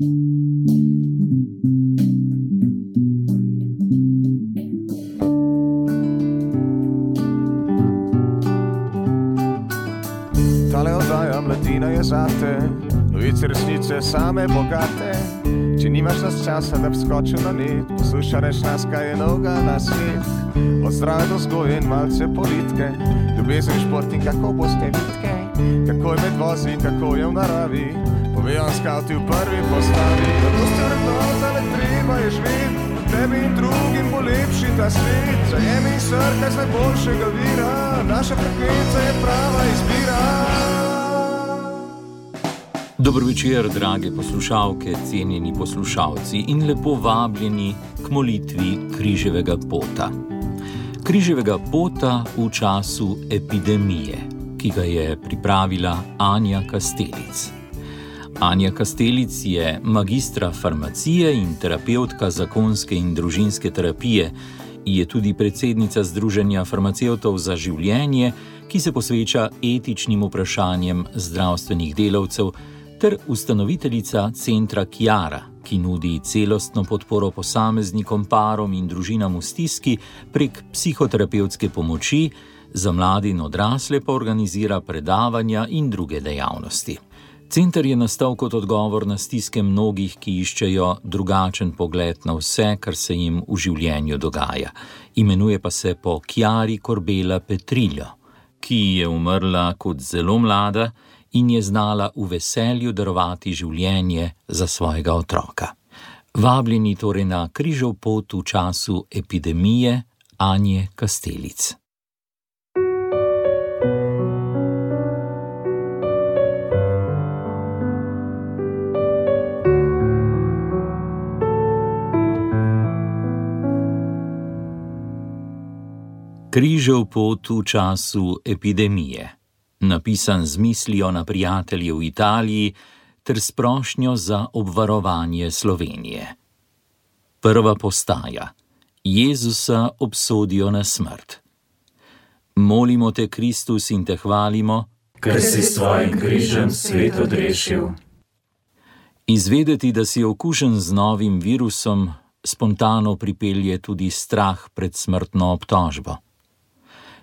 Tale oddaja Mladina je zate, novice resnice same bogate. Če nimaš nas časa, da bi skočil na net, poslušaj reš nas, kaj je novega na svet. Od zdrave do vzgoje in malce politike, ljubezen, šport in kako boste bitke, kako je med vozi, kako je v naravi, povejo vam skavti v prvi postavi. Zato ste vrednota, ne treba je živeti, tebi in drugim bo lepši ta svet. Zajemi in srkaj z najboljšega vira, naša frekvenca je prava izbira. Dobro večer, drage poslušalke, cenjeni poslušalci in lepo vabljeni k molitvi križevega pota. Križevega pota v času epidemije, ki ga je pripravila Anja Kastelic. Anja Kastelic je magistra farmacije in terapevtka zakonske in družinske terapije, je tudi predsednica Združenja farmacevtov za življenje, ki se posveča etičnim vprašanjem zdravstvenih delavcev, ter ustanoviteljica centra Kiara, ki nudi celostno podporo posameznikom, parom in družinam v stiski prek psihoterapevtske pomoči, za mlade in odrasle pa organizira predavanja in druge dejavnosti. Center je nastal kot odgovor na stiske mnogih, ki iščejo drugačen pogled na vse, kar se jim v življenju dogaja. Imenuje pa se po Chiari Corbella Petrillo, ki je umrla kot zelo mlada in je znala v veselju darovati življenje za svojega otroka. Vabljeni torej na križev pot v času epidemije Anje Kastelic. Križev pot v času epidemije. Napisan z mislijo na prijatelje v Italiji ter s prošnjo za obvarovanje Slovenije. Prva postaja. Jezusa obsodijo na smrt. Molimo te, Kristus, in te hvalimo, ker si s svojim križem svet odrešil. Izvedeti, da si okužen z novim virusom, spontano pripelje tudi strah pred smrtno obtožbo.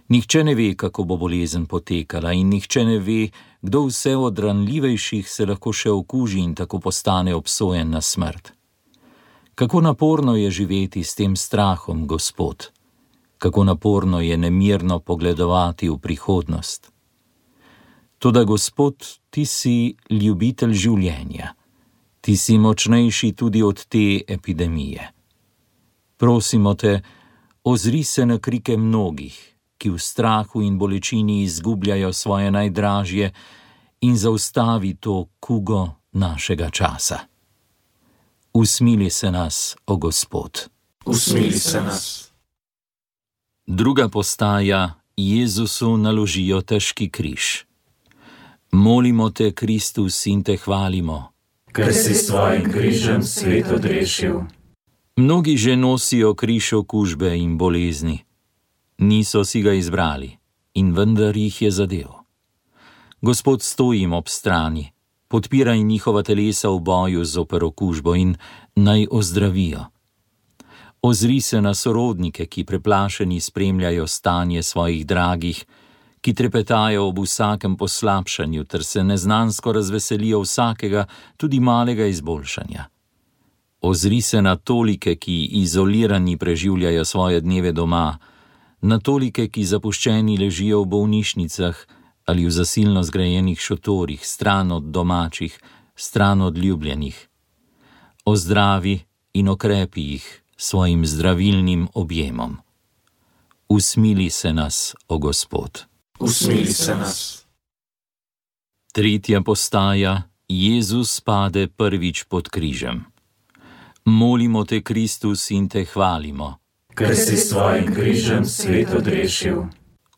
Nihče ne ve, kako bo bolezen potekala in nihče ne ve, kdo vse od ranljivejših se lahko še okuži in tako postane obsojen na smrt. Kako naporno je živeti s tem strahom, Gospod. Kako naporno je nemirno pogledovati v prihodnost. Toda, Gospod, ti si ljubitelj življenja. Ti si močnejši tudi od te epidemije. Prosimo te, ozri se na krike mnogih, ki v strahu in bolečini izgubljajo svoje najdražje, in zaustavi to kugo našega časa. Usmili se nas, o Gospod. Usmili se nas. Druga postaja. Jezusu naložijo težki križ. Molimo te, Kristus, in te hvalimo, ker si s svojim križem svet odrešil. Mnogi že nosijo križ okužbe in bolezni. Niso si ga izbrali in vendar jih je zadel. Gospod, stojim ob strani, podpiraj njihova telesa v boju zoper okužbo in naj ozdravijo. Ozri se na sorodnike, ki preplašeni spremljajo stanje svojih dragih, ki trepetajo ob vsakem poslabšanju ter se neznansko razveselijo vsakega, tudi malega izboljšanja. Ozri se na tolike, ki izolirani preživljajo svoje dneve doma, na tolike, ki zapuščeni ležijo v bolnišnicah ali v zasilno zgrajenih šotorih, stran od domačih, stran od ljubljenih. Ozdravi in okrepi jih svojim zdravilnim objemom. Usmili se nas, o Gospod. Usmili se nas. Tretja postaja. Jezus pade prvič pod križem. Molimo te, Kristus, in te hvalimo, ker si s svojim križem svet odrešil.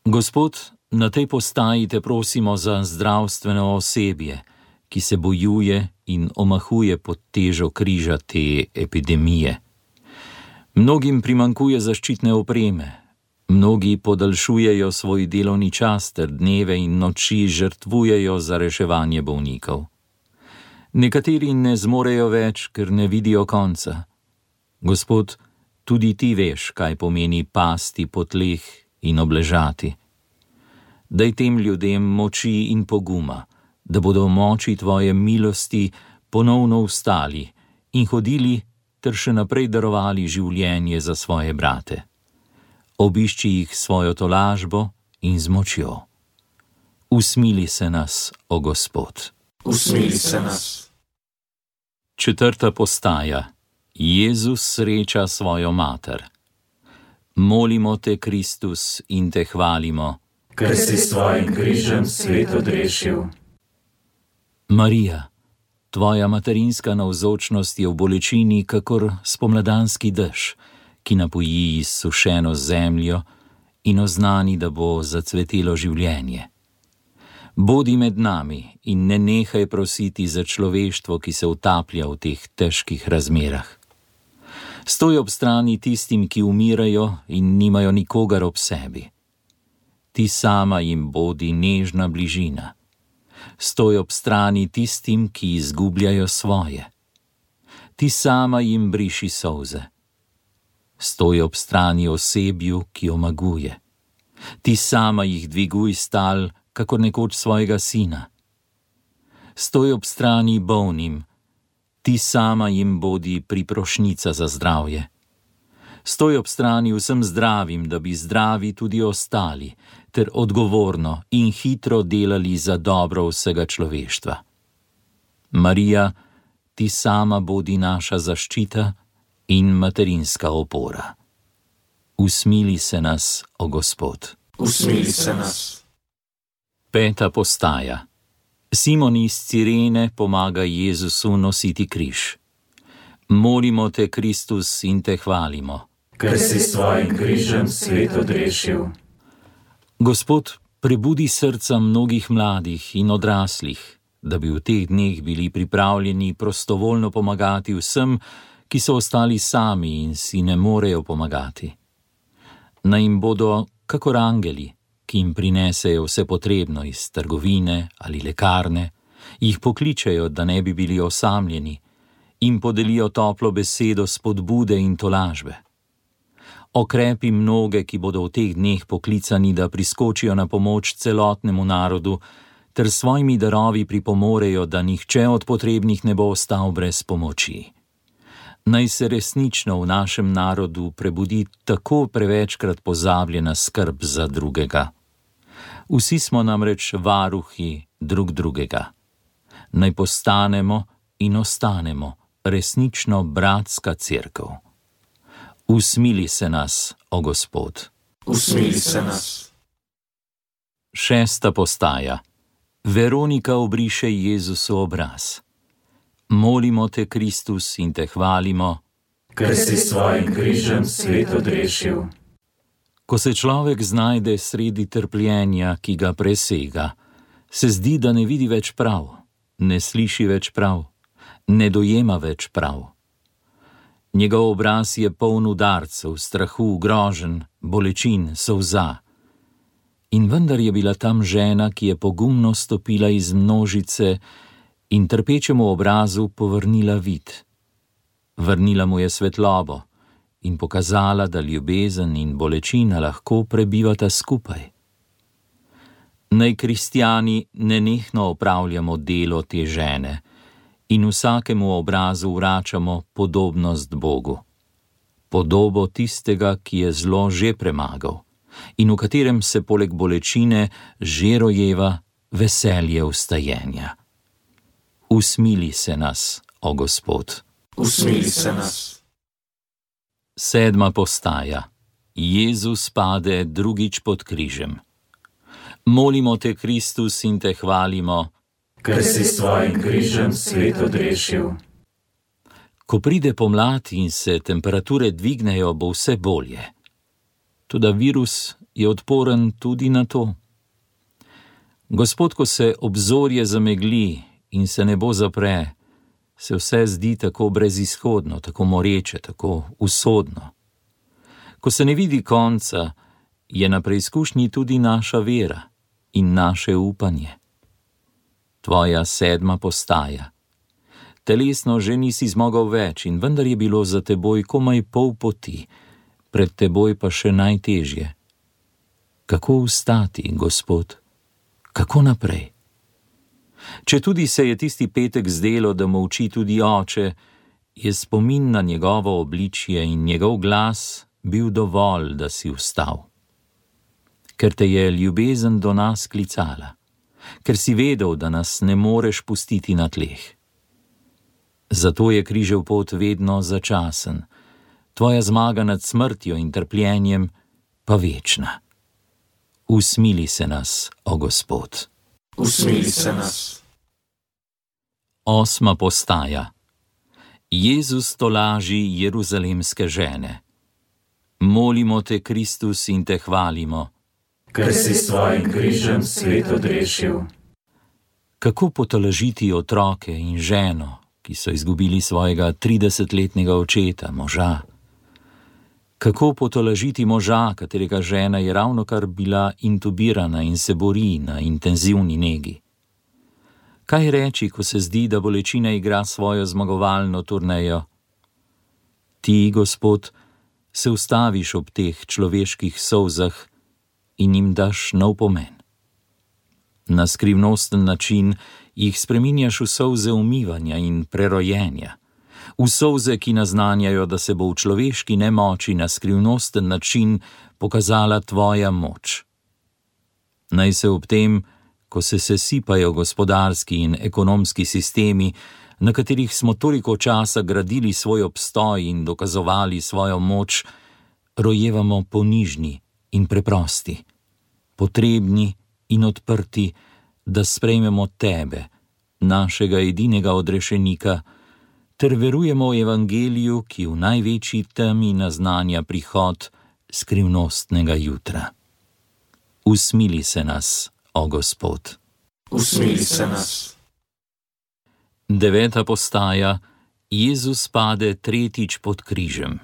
Gospod, na tej postaji te prosimo za zdravstveno osebje, ki se bojuje in omahuje pod težo križa te epidemije. Mnogim primanjkuje zaščitne opreme, mnogi podaljšujejo svoj delovni čas ter dneve in noči žrtvujejo za reševanje bolnikov. Nekateri ne zmorejo več, ker ne vidijo konca. Gospod, tudi ti veš, kaj pomeni pasti po tleh in obležati. Daj tem ljudem moči in poguma, da bodo v moči tvoje milosti ponovno vstali in hodili ter še naprej darovali življenje za svoje brate. Obišči jih svojo tolažbo in z močjo. Usmili se nas, o Gospod. Usmili se nas. 4. postaja. Jezus sreča svojo mater. Molimo te, Kristus, in te hvalimo, ker si s tvojim križem svet odrešil. Marija, tvoja materinska navzočnost je v bolečini kakor spomladanski dež, ki napoji izsušeno zemljo in oznani, da bo zacvetelo življenje. Bodi med nami in ne nehaj prositi za človeštvo, ki se utaplja v teh težkih razmerah. Stoj ob strani tistim, ki umirajo in nimajo nikogar ob sebi. Ti sama jim bodi nežna bližina. Stoj ob strani tistim, ki izgubljajo svoje. Ti sama jim briši solze. Stoj ob strani osebju, ki omaguje. Ti sama jih dviguj stal, kakor nekoč svojega sina. Stoj ob strani bolnim. Ti sama jim bodi priprošnica za zdravje. Stoj ob strani vsem zdravim, da bi zdravi tudi ostali, ter odgovorno in hitro delali za dobro vsega človeštva. Marija, ti sama bodi naša zaščita in materinska opora. Usmili se nas, o Gospod. Usmili se nas. 5. postaja. Simon iz Cirene pomaga Jezusu nositi križ. Molimo te, Kristus, in te hvalimo, ker si s tvojim križem svet odrešil. Gospod, prebudi srca mnogih mladih in odraslih, da bi v teh dneh bili pripravljeni prostovoljno pomagati vsem, ki so ostali sami in si ne morejo pomagati. Naj jim bodo kakor angeli, ki jim prinesejo vse potrebno iz trgovine ali lekarne, jih pokličejo, da ne bi bili osamljeni, in podelijo toplo besedo spodbude in tolažbe. Okrepi mnoge, ki bodo v teh dneh poklicani, da priskočijo na pomoč celotnemu narodu, ter svojimi darovi pripomorejo, da nihče od potrebnih ne bo ostal brez pomoči. Naj se resnično v našem narodu prebudi tako prevečkrat pozabljena skrb za drugega. Vsi smo namreč varuhi drug drugega. Naj postanemo in ostanemo resnično bratska cerkev. Usmili se nas, o Gospod. Usmili se nas. 6. postaja. Veronika obriše Jezusu obraz. Molimo te, Kristus, in te hvalimo, ker si s svojim križem svet odrešil. Ko se človek znajde sredi trpljenja, ki ga presega, se zdi, da ne vidi več prav, ne sliši več prav, ne dojema več prav. Njegov obraz je poln udarcev, strahu, groženj, bolečin, solza. In vendar je bila tam žena, ki je pogumno stopila iz množice in trpečemu obrazu povrnila vid. Vrnila mu je svetlobo in pokazala, da ljubezen in bolečina lahko prebivata skupaj. Naj kristjani nenehno opravljamo delo te žene in vsakemu obrazu vračamo podobnost Bogu. Podobo tistega, ki je zlo že premagal in v katerem se poleg bolečine že rojeva veselje vstajenja. Usmili se nas, o Gospod. Usmili se nas. 7. postaja. Jezus pade drugič pod križem. Molimo te, Kristus, in te hvalimo, ker si s tvojim križem svet odrešil. Ko pride pomlad in se temperature dvignejo, bo vse bolje. Toda virus je odporen tudi na to. Gospod, ko se obzorje zamegli in se nebo zapre, se vse zdi tako brezizhodno, tako moreče, tako usodno. Ko se ne vidi konca, je na preizkušnji tudi naša vera in naše upanje. Tvoja 7. postaja. Telesno že nisi zmogel več in vendar je bilo za teboj komaj pol poti, pred teboj pa še najtežje. Kako vstati, Gospod? Kako naprej? Četudi se je tisti petek zdelo, da molči tudi oče, je spomin na njegovo obličje in njegov glas bil dovolj, da si vstal. Ker te je ljubezen do nas klicala, ker si vedel, da nas ne moreš pustiti na tleh. Zato je križev pot vedno začasen, tvoja zmaga nad smrtjo in trpljenjem pa večna. Usmili se nas, o Gospod. Usmili se nas. 8. postaja. Jezus tolaži jeruzalemske žene. Molimo te, Kristus, in te hvalimo, ker si s svojim križem svet odrešil. Kako potolažiti otroke in ženo, ki so izgubili svojega 30-letnega očeta, moža? Kako potolažiti moža, katerega žena je ravnokar bila intubirana in se bori na intenzivni negi? Kaj reči, ko se zdi, da bolečina igra svojo zmagovalno turnejo? Ti, Gospod, se ustaviš ob teh človeških solzah in jim daš nov pomen. Na skrivnosten način jih spreminjaš v solze umivanja in prerojenja, v solze, ki naznanjajo, da se bo v človeški nemoči na skrivnosten način pokazala tvoja moč. Naj se ob tem, ko se sesipajo gospodarski in ekonomski sistemi, na katerih smo toliko časa gradili svoj obstoj in dokazovali svojo moč, rojevamo ponižni in preprosti, potrebni in odprti, da sprejmemo tebe, našega edinega odrešenika, ter verujemo evangeliju, ki v največji temi naznanja prihod skrivnostnega jutra. Usmili se nas, o Gospod. Usmili se nas. 9. postaja. Jezus pade tretjič pod križem.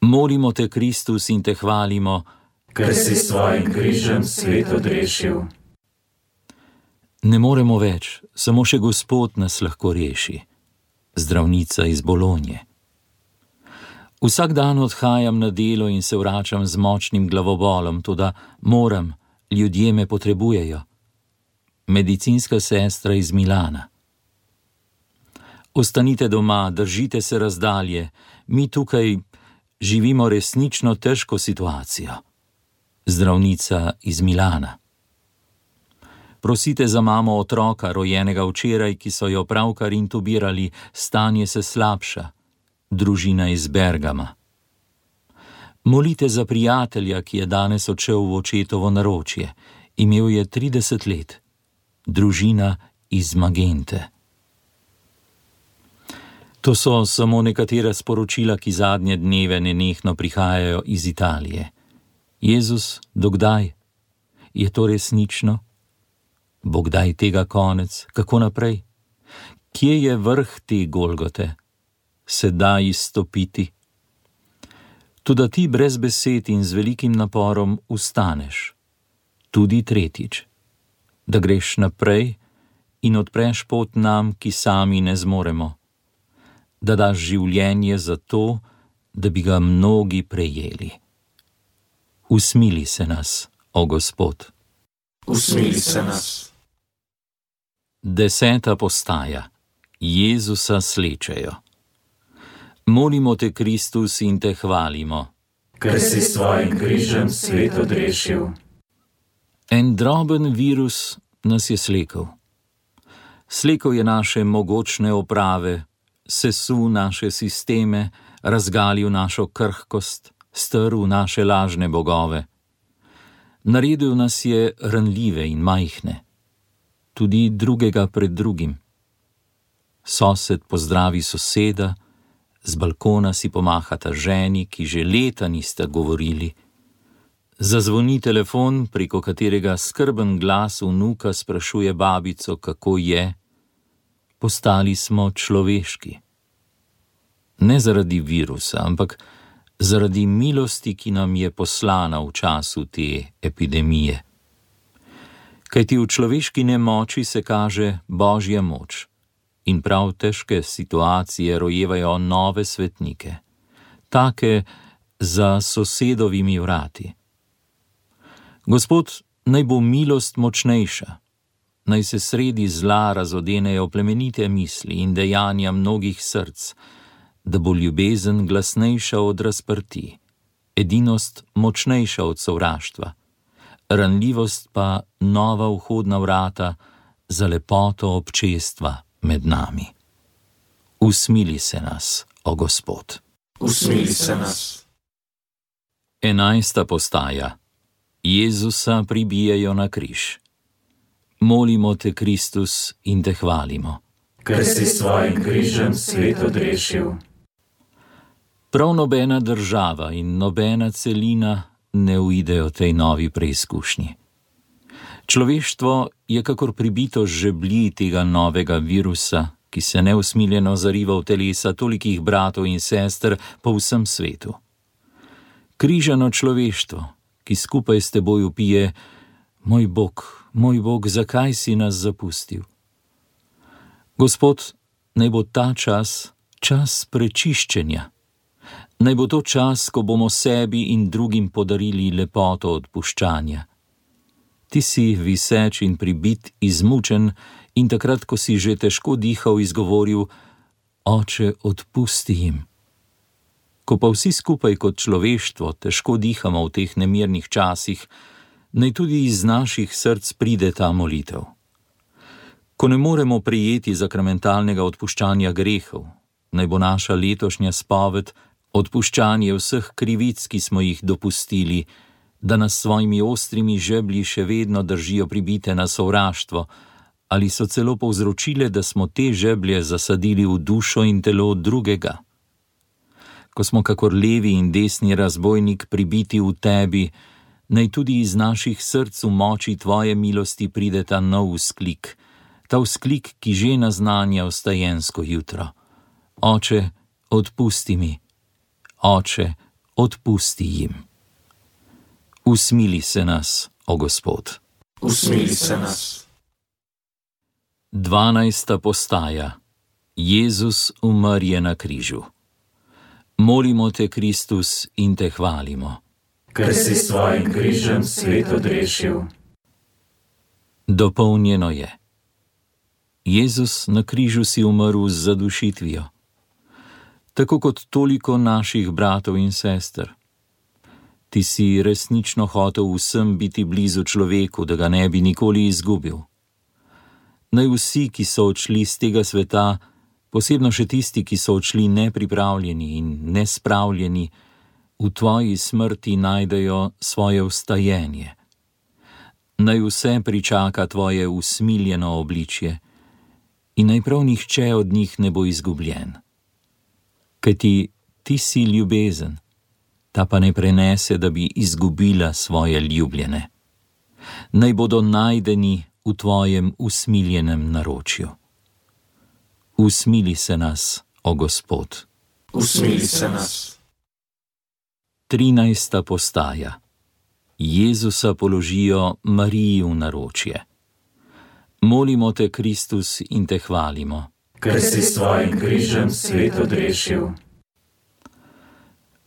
Molimo te, Kristus, in te hvalimo, ker si s svojim križem svet odrešil. Ne moremo več, samo še Gospod nas lahko reši. Zdravnica iz Bolonje. Vsak dan odhajam na delo in se vračam z močnim glavobolom, toda moram, ljudje me potrebujejo. Medicinska sestra iz Milana. Ostanite doma, držite se razdalje, mi tukaj živimo resnično težko situacijo. Zdravnica iz Milana. Prosite za mamo otroka, rojenega včeraj, ki so jo pravkar intubirali, stanje se slabša. Družina iz Bergama. Molite za prijatelja, ki je danes odšel v očetovo naročje. Imel je 30 let. Družina iz Magente. To so samo nekatera sporočila, ki zadnje dneve nenehno prihajajo iz Italije. Jezus, dokdaj? Je to resnično? Bo kdaj tega konec? Kako naprej? Kje je vrh te Golgote? Se da izstopiti? Toda ti brez besed in z velikim naporom vstaneš. Tudi tretjič. Da greš naprej in odpreš pot nam, ki sami ne zmoremo. Da daš življenje za to, da bi ga mnogi prejeli. Usmili se nas, o Gospod. Usmili se nas. 10. postaja. Jezusa slečejo. Molimo te, Kristus, in te hvalimo, ker si s svojim križem svet odrešil. En droben virus nas je slekel. Slekel je naše mogočne oprave, sesul naše sisteme, razgalil našo krhkost, strl naše lažne bogove. Naredil nas je ranljive in majhne, tudi drugega pred drugim. Sosed pozdravi soseda, z balkona si pomahata ženi, ki že leta nista govorili. Zazvoni telefon, preko katerega skrben glas vnuka sprašuje babico, kako je. Postali smo človeški. Ne zaradi virusa, ampak zaradi milosti, ki nam je poslana v času te epidemije. Kajti v človeški nemoči se kaže Božja moč in prav težke situacije rojevajo nove svetnike, take za sosedovimi vrati. Gospod, naj bo milost močnejša, naj se sredi zla razodenejo plemenite misli in dejanja mnogih src, da bo ljubezen glasnejša od razprti, edinost močnejša od sovraštva, ranljivost pa nova vhodna vrata za lepoto občestva med nami. Usmili se nas, o Gospod. Usmili se nas. 11. postaja. Jezusa pribijajo na križ. Molimo te, Kristus, in te hvalimo, ker si s svojim križem svet odrešil. Prav nobena država in nobena celina ne uidejo tej novi preizkušnji. Človeštvo je kakor pribito žeblji tega novega virusa, ki se neusmiljeno zariva v telesa tolikih bratov in sester po vsem svetu. Križano človeštvo, ki skupaj s teboj vpije: moj Bog, zakaj si nas zapustil? Gospod, naj bo ta čas prečiščenja. Naj bo to čas, ko bomo sebi in drugim podarili lepoto odpuščanja. Ti si viseč in pribit, izmučen, in takrat, ko si že težko dihal, izgovoril: Oče, odpusti jim. Ko pa vsi skupaj kot človeštvo težko dihamo v teh nemirnih časih, naj tudi iz naših src pride ta molitev. Ko ne moremo prejeti sakramentalnega odpuščanja grehov, naj bo naša letošnja spoved odpuščanje vseh krivic, ki smo jih dopustili, da nas svojimi ostrimi žeblji še vedno držijo pribite na sovraštvo, ali so celo povzročile, da smo te žeblje zasadili v dušo in telo drugega. Ko smo kakor levi in desni razbojnik pribiti v tebi, naj tudi iz naših src v moči tvoje milosti pride ta nov vzklik, ta vzklik, ki že naznanja vstajensko jutro. Oče, odpusti mi. Oče, odpusti jim. Usmili se nas, o Gospod. Usmili se nas. 12. postaja. Jezus umrje na križu. Molimo te, Kristus, in te hvalimo, ker si s svojim križem svet odrešil. Dopolnjeno je. Jezus, na križu si umrl z zadušitvijo, tako kot toliko naših bratov in sester. Ti si resnično hotel vsem biti blizu človeku, da ga ne bi nikoli izgubil. Naj vsi, ki so odšli z tega sveta, posebno še tisti, ki so odšli nepripravljeni in nespravljeni, v tvoji smrti najdejo svoje vstajenje. Naj vse pričaka tvoje usmiljeno obličje in naj prav nihče od njih ne bo izgubljen. Kajti ti si ljubezen, ta pa ne prenese, da bi izgubila svoje ljubljene. Naj bodo najdeni v tvojem usmiljenem naročju. Usmili se nas, o Gospod. Usmili se nas. 13. postaja. Jezusa položijo Mariji v naročje. Molimo te, Kristus, in te hvalimo, ker si s svojim križem svet odrešil.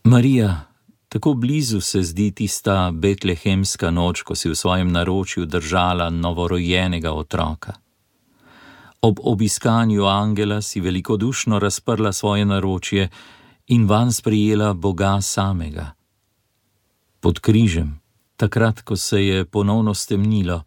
Marija, tako blizu se zdi tista betlehemska noč, ko si v svojem naročju držala novorojenega otroka. Ob obiskanju angela si velikodušno razprla svoje naročje in vanj sprejela Boga samega. Pod križem, takrat, ko se je ponovno stemnilo,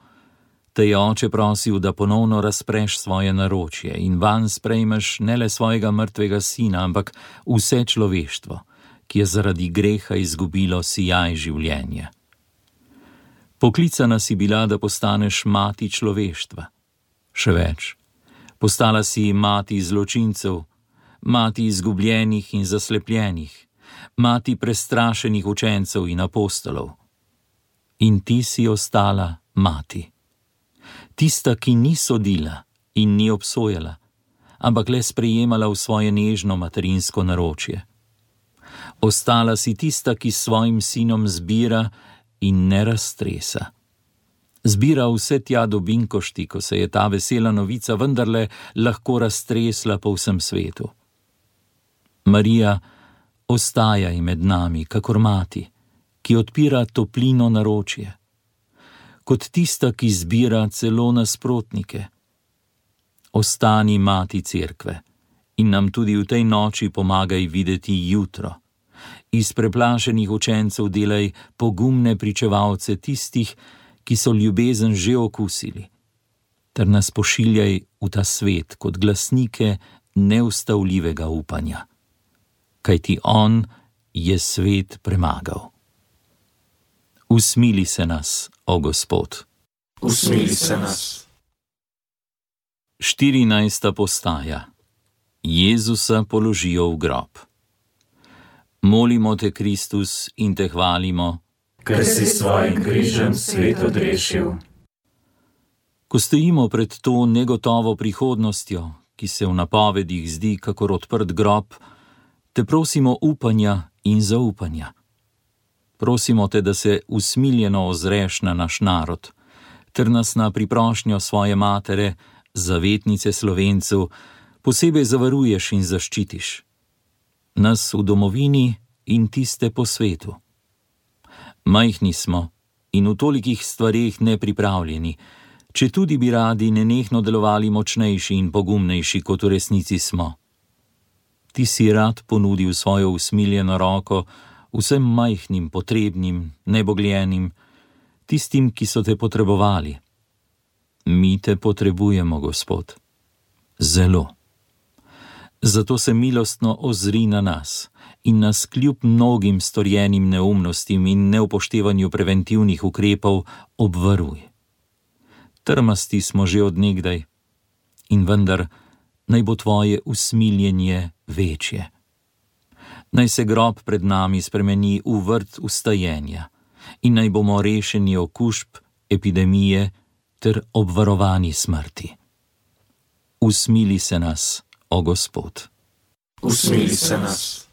te je Oče prosil, da ponovno razpreš svoje naročje in vanj sprejmeš ne le svojega mrtvega sina, ampak vse človeštvo, ki je zaradi greha izgubilo sijaj življenja. Poklicana si bila, da postaneš mati človeštva. Še več, postala si mati zločincev, mati izgubljenih in zaslepljenih, mati prestrašenih učencev in apostolov. In ti si ostala mati. Tista, ki ni sodila in ni obsojala, ampak le sprejemala v svoje nežno materinsko naročje. Ostala si tista, ki s svojim sinom zbira in ne raztresa. Zbira vse tja do Binkošti, ko se je ta vesela novica vendarle lahko raztresla po vsem svetu. Marija, ostajaj med nami, kakor mati, ki odpira toplino naročje, kot tista, ki zbira celo nasprotnike. Ostani mati cerkve in nam tudi v tej noči pomagaj videti jutro. Iz preplašenih učencev delaj pogumne pričevalce tistih, ki so ljubezen že okusili, ter nas pošiljaj v ta svet kot glasnike neustavljivega upanja. Kajti on je svet premagal. Usmili se nas, o Gospod. Usmili se nas. 14. postaja. Jezusa položijo v grob. Molimo te, Kristus, in te hvalimo, ker si s svojim križem svet odrešil. Ko stojimo pred to negotovo prihodnostjo, ki se v napovedih zdi kakor odprt grob, te prosimo upanja in zaupanja. Prosimo te, da se usmiljeno ozreš na naš narod, ter nas na priprošnjo svoje matere, zavetnice Slovencev, posebej zavaruješ in zaščitiš. Nas v domovini in tiste po svetu. Majhni smo in v tolikih stvareh nepripravljeni, četudi bi radi nenehno delovali močnejši in pogumnejši, kot v resnici smo. Ti si rad ponudil svojo usmiljeno roko vsem majhnim, potrebnim, nebogljenim, tistim, ki so te potrebovali. Mi te potrebujemo, Gospod. Zelo. Zato se milostno ozri na nas in nas kljub mnogim storjenim neumnostim in neupoštevanju preventivnih ukrepov obvaruj. Trmasti smo že od nekdaj in vendar naj bo tvoje usmiljenje večje. Naj se grob pred nami spremeni v vrt vstajenja in naj bomo rešeni okužb, epidemije ter obvarovani smrti. Usmili se nas, o Gospod. Usmili se nas.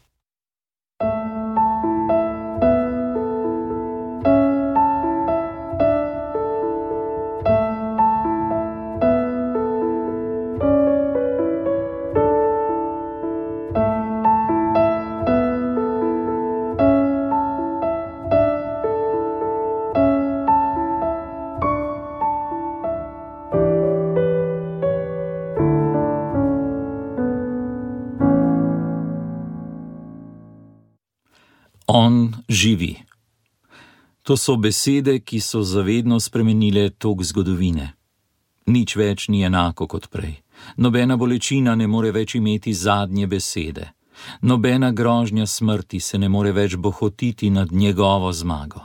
On živi. To so besede, ki so zavedno spremenile tok zgodovine. Nič več ni enako kot prej. Nobena bolečina ne more več imeti zadnje besede. Nobena grožnja smrti se ne more več bohotiti nad njegovo zmago.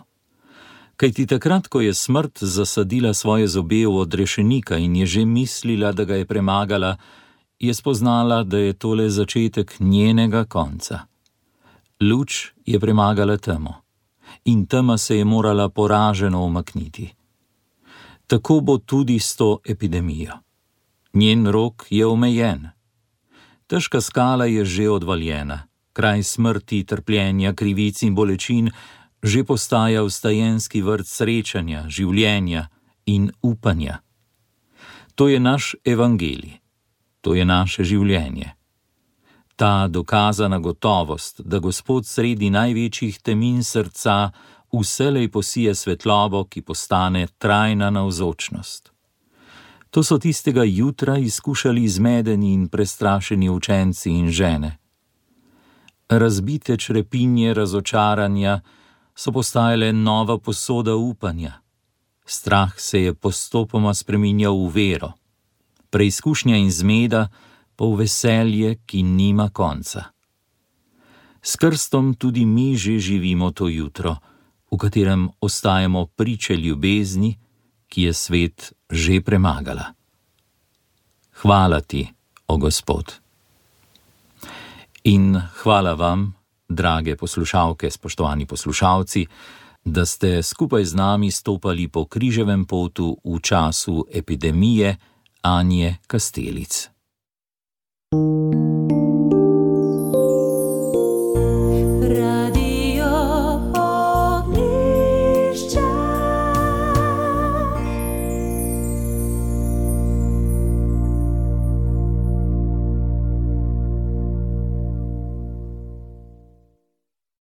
Kajti takrat, ko je smrt zasadila svoje zobe v odrešenika in je že mislila, da ga je premagala, je spoznala, da je tole začetek njenega konca. Luč je premagala temo in tema se je morala poraženo umakniti. Tako bo tudi s to epidemijo. Njen rok je omejen. Težka skala je že odvaljena, kraj smrti, trpljenja, krivic in bolečin že postaja vstajenski vrt srečanja, življenja in upanja. To je naš evangelij, to je naše življenje. Ta dokazana gotovost, da Gospod sredi največjih temin srca vselej posije svetlobo, ki postane trajna navzočnost. To so tistega jutra izkušali zmedeni in prestrašeni učenci in žene. Razbite črepinje razočaranja so postajale nova posoda upanja. Strah se je postopoma spreminjal v vero. Preizkušnja in zmeda pa v veselje, ki nima konca. S krstom tudi mi že živimo to jutro, v katerem ostajamo priče ljubezni, ki je svet že premagala. Hvala ti, o Gospod. In hvala vam, drage poslušalke, spoštovani poslušalci, da ste skupaj z nami stopali po križevem potu v času epidemije Anje Kastelic.